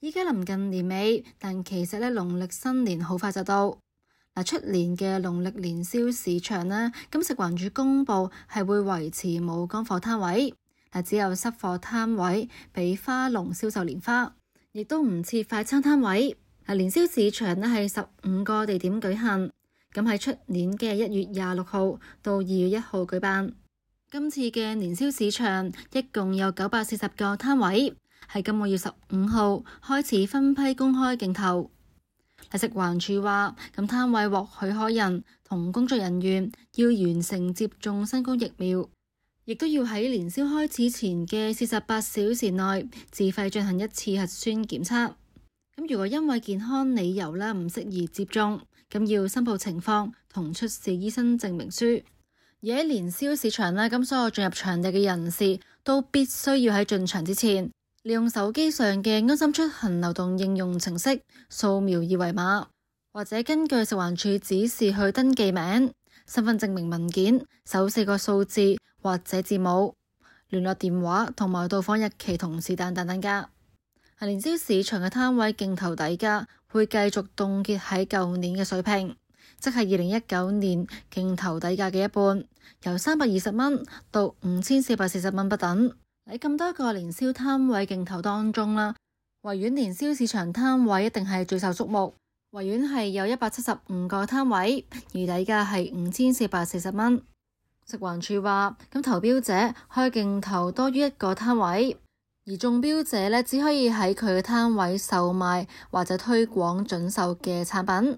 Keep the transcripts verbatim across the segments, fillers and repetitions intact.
依家臨近年尾，但其實咧農曆新年好快就到。嗱，出年嘅農曆年宵市場呢，咁食環署公佈係會維持冇乾貨攤位，嗱只有濕貨攤位俾花農銷售年花，亦都唔設快餐攤位。嗱，年宵市場呢係十五個地點舉行，咁喺出年嘅一月廿六號到二月一號舉辦。今次嘅年宵市場一共有九百四十個攤位，喺今個月十五號開始分批公開競投。食環署話，咁攤位獲許可人同工作人員要完成接種新冠疫苗，亦都要喺年宵開始前嘅四十八小時內自費進行一次核酸檢測。咁如果因為健康理由咧唔適宜接種，咁要申報情況同出示醫生證明書。而喺年宵市場咧，咁所有進入場地嘅人士都必須要喺進場之前，利用手機上嘅安心出行流動應用程式掃描二維碼，或者根據食環署指示去登記名、身份證明文件、首四個數字或者字母、聯絡電話同埋到訪日期同是但等等㗎。年宵市場嘅攤位競投底價會繼續凍結喺舊年嘅水平，即係二零一九年競投底價嘅一半，由三百二十蚊到五千四百四十蚊不等。喺咁多個年宵攤位競投當中啦，維園年宵市場攤位一定係最受矚目。維園係有一百七十五個攤位，而底價係五千四百四十蚊。食環署話，咁投標者可以競投多於一個攤位，而中標者呢，只可以喺佢嘅攤位售賣或者推廣準售嘅產品。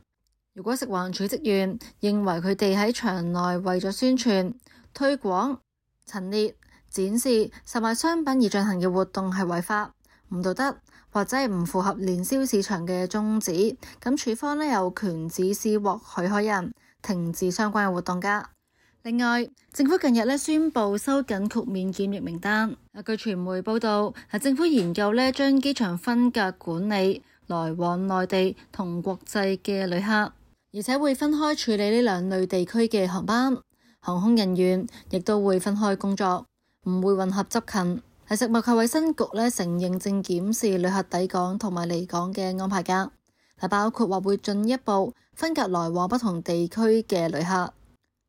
如果食環署職員認為佢哋喺場內為咗宣傳、推廣、陳列、展示、售賣商品而進行嘅活動係違法、唔道德或者係唔符合年宵市場嘅宗旨，咁署方呢有權指示獲許可人停止相關嘅活動㗎。另外，政府近日呢宣布收緊豁免檢疫名單。據傳媒報道，政府研究呢將機場分隔管理來往內地同國際嘅旅客，而且會分開處理呢兩類地區嘅航班，航空人員亦都會分開工作，唔會混合執勤。係食物及衛生局咧承認正檢視旅客抵港同埋離港嘅安排㗎，係包括話會進一步分隔來往不同地區嘅旅客。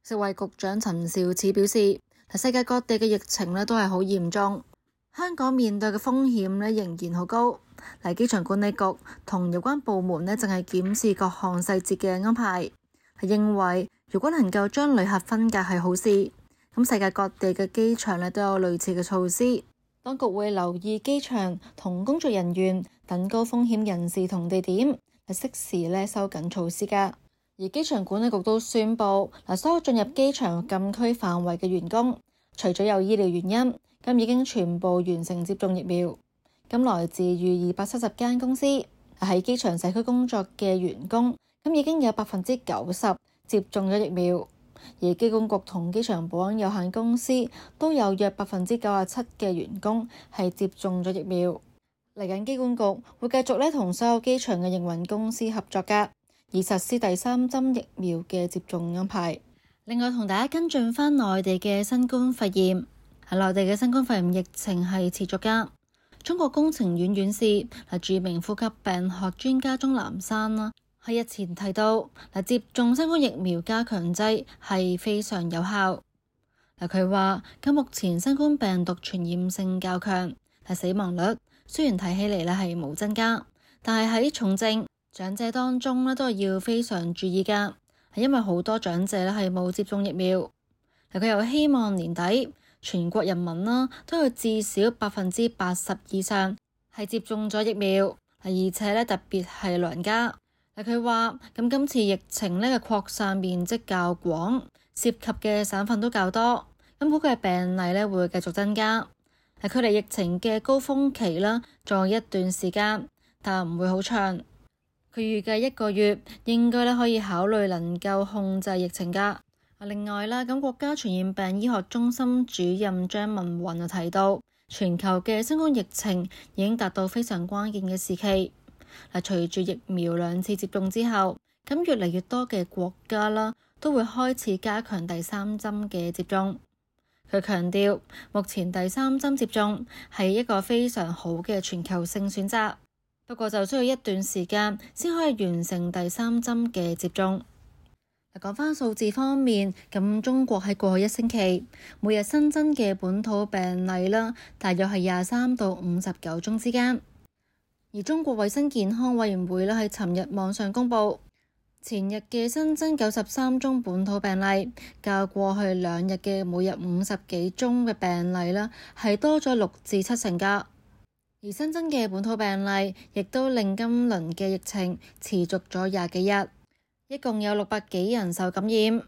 食衛局長陳肇始表示，世界各地嘅疫情咧都係好嚴重，香港面對嘅風險咧仍然好高。嚟機場管理局同有關部門咧正係檢視各項細節嘅安排，係認為如果能夠將旅客分隔係好事。咁世界各地嘅機場咧都有類似嘅措施，當局會留意機場同工作人員等高風險人士同地點，係適時咧收緊措施㗎。而機場管理局都宣布，嗱，所有進入機場禁區範圍嘅員工，除咗有醫療原因，咁已經全部完成接種疫苗。咁來自逾二百七十間公司喺機場社區工作嘅員工，咁已經有百分之九十接種咗疫苗。而機管局同機場保安有限公司都有約百分之九十七嘅員工係接種咗疫苗。嚟緊機管局會繼續咧同所有機場嘅營運公司合作㗎，以實施第三針疫苗嘅接種安排。另外同大家跟進返內地嘅新冠肺炎，喺內地嘅新冠肺炎疫情係持續㗎。中國工程院院士係著名呼吸病學專家鍾南山啦，喺日前提到嗱，接種新冠疫苗加強劑係非常有效。嗱，佢話咁目前新冠病毒傳染性較強，係死亡率雖然睇起嚟咧係冇增加，但係喺重症長者當中咧都係要非常注意㗎，係因為好多長者咧係冇接種疫苗。嗱，佢又希望年底全國人民啦都要至少百分之八十以上係接種咗疫苗，而且咧特別係老人家。嗱，佢話咁今次疫情咧嘅擴散面積較廣，涉及嘅省份都較多，咁估計病例咧會繼續增加。係距離疫情嘅高峰期啦，仲有一段時間，但唔會好長。佢預計一個月應該咧可以考慮能夠控制疫情㗎。另外啦，咁國家傳染病醫學中心主任張文宏就提到，全球嘅新冠疫情已經達到非常關鍵嘅時期。嗱，隨住疫苗兩次接種之後，咁越嚟越多嘅國家啦都會開始加強第三針嘅接種。佢強調，目前第三針接種係一個非常好嘅全球性選擇。不過就需要一段時間先可以完成第三針嘅接種。講返數字方面，咁中國喺過去一星期每日新增嘅本土病例啦，大約係廿三到五十九宗之間。而中國衛生健康委員會咧喺尋日網上公佈，前日嘅新增九十三宗本土病例，較過去兩日嘅每日五十幾宗嘅病例啦，係多咗六至七成㗎。而新增嘅本土病例，亦都令今輪嘅疫情持續咗廿幾日。一共有六百幾人受感染。